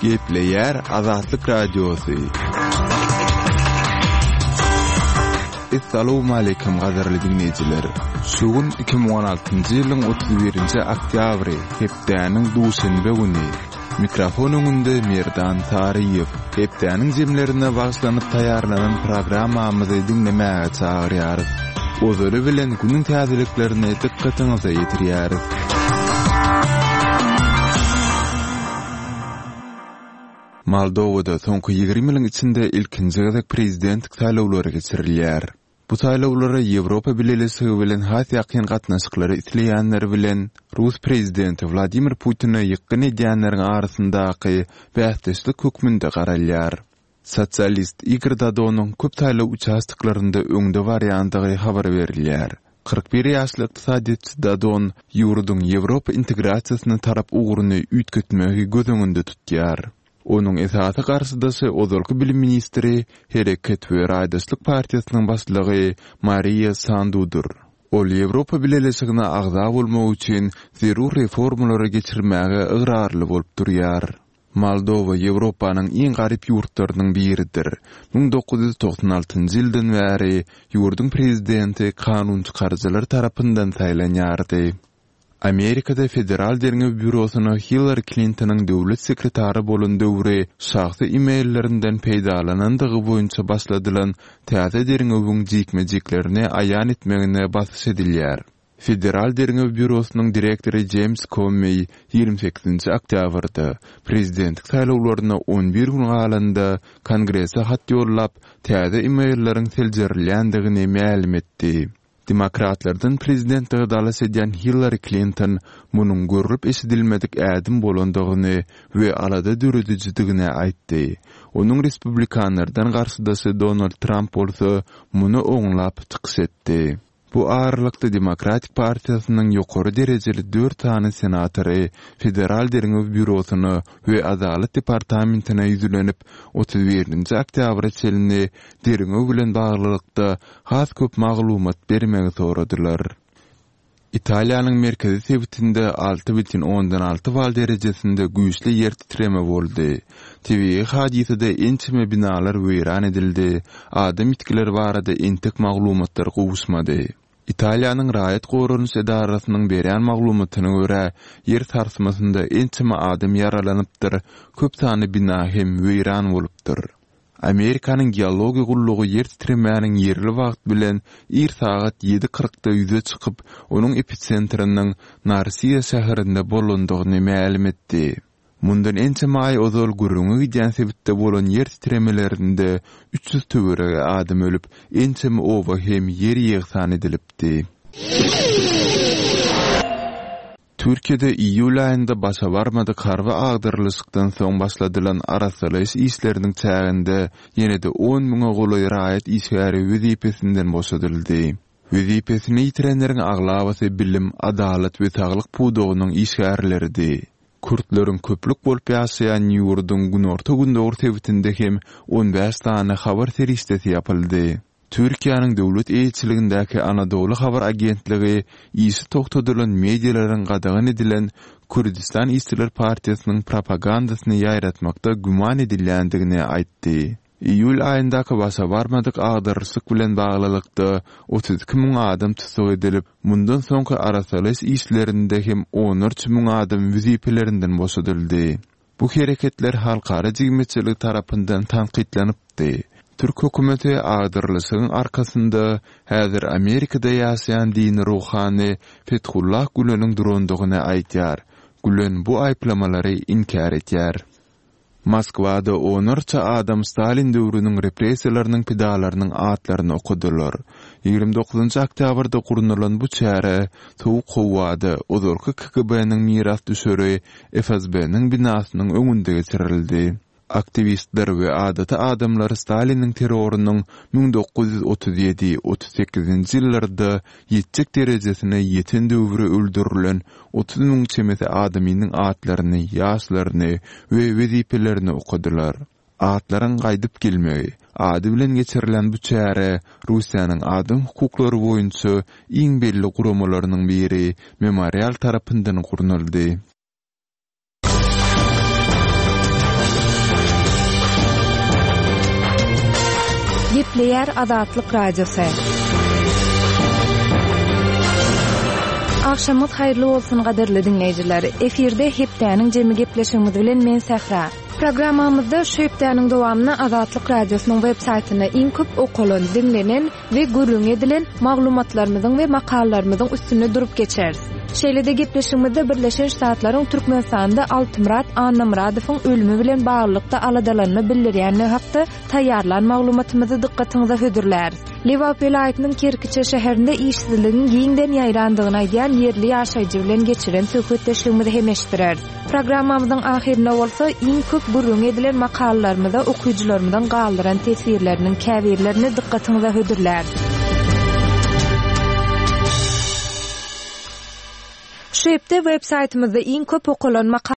Gepleýär Azatlyk Radiosy. Essalawmaleýkim gadyrly diňleýjiler! Şu gün 2016-njy ýylyň 31-nji oktýabry, hepdäniň duşenbe güni. Mikrofon öňünde Merdan Saryýew. Hepdäniň jemlerine bagyşlanyp taýýarlanan programmamyzy diňlemäge çagyrýarys. Ozaly bilen günüň täzeliklerini dykgatyňyza ýetirýäris. Moldowada soňky 20 ýylyň içinde ilkinji gezek prezidentlik saýlawlary geçirilýär. Bu saýlawlara Ýewropa Bileleşigi bilen has ýakyn gatnaşyklary isleýänler bilen rus prezidenti Wladimir Putine ýykgyn edýänleriň arasyndaky bäsdeşlik hökmünde garalýar. Sosialist Igor Dodonyň köp saýlaw uçastoklarynda öňde barýandygy habar berilýär. 41 ýaşly ykdysadyýetçi Dodon ýurduň Ýewropa integrasiýasyna tarap ugruny üýtgetmegi göz öňünde tutýar. Onuň esasy garşydaşy ozalky bilim ministri, Hereket we raýdaşlyk partiýasynyň başlygy Mariýa Sandudyr. Ol Ýewropa Bileleşigine agza bolmak üçin zerur reformalary geçirmäge ygrarly bolup durýar. Moldowa Ýewropanyň iň garyp ýurtlarynyň biridir. 1996 ýyldan bäri ýurduň prezidenti kanunçykaryjylar tarapyndan saýlanýardy. Amerikada Federal derňew býurosyna Hillari Klintonyň döwlet sekretary bolan döwri şahsy e-maillerinden peýdalanandygy boýunça başladylan täze derňewiň jikme-jiklerini aýan etmegine basyş edilýär. Federal derňew býurosynyň direktory Jeýms Kommeý 28-nji oktýabrda, prezidentlik saýlawlaryna 11 gün galanda, Kongrese hat ýollap, täze e-mailleriň seljerilýändigini mälim etdi. Demokratlardan prezidentlige dalaş edýän Hillari Klinton munuň görlüp-eşidilmedik ädim bolandygyny we alada döredijidigini aýtdy. Onuň respublikanlardan garşydaşy Donald Tramp bolsa muny oňlap çykyş etdi. Bu aralykda Demokratik partiýasynyň ýokary derejeli dört sany senatory Federal derňew býurosyna we Adalat departamentine ýüzlenip, 31-nji oktýabra çenli derňew bilen baglylykda has köp maglumat bermegi soradylar. Italiýanyň merkezi sebitinde 6,6 bal derejesinde güýçli ýer titreme boldy. Tebigy hadysada ençeme binalar weýran edildi, adam ýitgileri barada entek maglumatlar gowuşmady. Italiýanyň raýat goranyş edarasynyň berýän maglumatyna görä, ýer sarsmasynda ençeme adam ýaralanypdyr, köp sanly bina hem weýran bolupdyr. Amerikanyň geologiýa gullugy ýer titremäniň ýerli wagt bilen ir sagat ýedi kyrkda ýüze çykyp, onuň episentriniň Narsiýa şäherinde bolandygyny mälim etdi. Mundan ençeme aý ozal gürrüňi gidýän sebitde bolan ýer titremelerinde 300 töweregi adam ölüp, ençeme oba hem ýer-ýegsan edilipdi. Türkiýede iýul aýynda başa barmadyk harby agdarylyşykdan soň başladylan arassalaýyş işleriniň çäginde ýene-de on müňe golaý raýat işgäri wezipesinden boşadyldy. Wezipesini ýitirenleriň aglabasy bilim, adalat we saglyk pudagynyň işgärleridi. Kürtleriň köplük bolup ýaşaýan ýurduň günorta-gündogar sebitinde hem on bäş sany habar serişdesi ýapyldy. Türkiýäniň döwlet eýeçiligindäki Anadoly habar agentligi işi togtadylan medialaryň gadagan edilen Kürdistan işçiler partiýasynyň propagandasyny ýaýratmakda güman edilýändigini aýtdy. Iýul aýyndaky başa barmadyk agdarylyşyk bilen baglylykda 32 müň adam tussag edilip, mundan soňky arassalaýyş işlerinde hem onlarça müň adam wezipelerinden boşadyldy. Bu hereketler halkara jemgyýetçiligi tarapyndan tankytlanypdy. Türk hökümeti agdarylyşygyň arkasynda häzir Amerikada ýaşaýan dini ruhany Fethullah Güleniň durandygyny aýdýar. Gülen bu aýyplamalary inkär edýär. Moskwada onlarça adam Stalin döwrüniň repressiýalarynyň pidalarynyň atlaryny okadylar. 29 oktýabrda gurnalan bu çäre sowuk howada, ozalky KGB-niň mirasdüşeri FSB-niň binasynyň öňünde geçirildi. Aktiwistler we adaty adamlar Staliniň terrorynyň 1937, 38-nji ýyllarda ýetjek derejesine ýeten döwri öldürilen 30 müň çemesi adamynyň atlaryny, ýaşlaryny we wezipelerini okadylar. Atlaryň gaýdyp gelmegi ady bilen geçirilen bu çäre Russiýanyň adam hukuklary boýunça iň belli guramalarynyň biri Memorial tarapyndan gurnaldy. Gepleýär Azatlyk Radiosy. Agşamyňyz haýyrly bolsun gadyrly diňleýjiler. Efirde hepdäniň jemi gepleşigimiz bilen men Sähra. Programmamyzda şu hepdäniň dowamynda Azatlyk Radiosynyň web saýtynda iň köp okalan, diňlenen we gürrüňi edilen maglumatlarymyzyň we makalalarymyzyň üstünde durup geçeris. Şeýle-de gepleşigimizde Birleşen Ştatlaryň Türkmenistanda Altymyrat Annamyradowyň ölümi bilen baglylykda aladalanma bildirýändigi hakda taýýarlan maglumatymyzy dykgatyňyza hödürläris. Lebap welaýatynyň Kerkiçe şäherinde işsizligiň giňden ýaýrandygyny aýdýan ýerli ýaşaýjy bilen geçiren söhbetdeşligimizi hem eşitdireris. Programmamyzyň ahyrynda bolsa iň köp gürrüňi edilen makalalarymyza okyjylarymyzyň galdyran teswirleriniň käbirlerini dykgatyňyza hödürläris. Şu hepde web saýtymyzda iň köp okalan makalalar.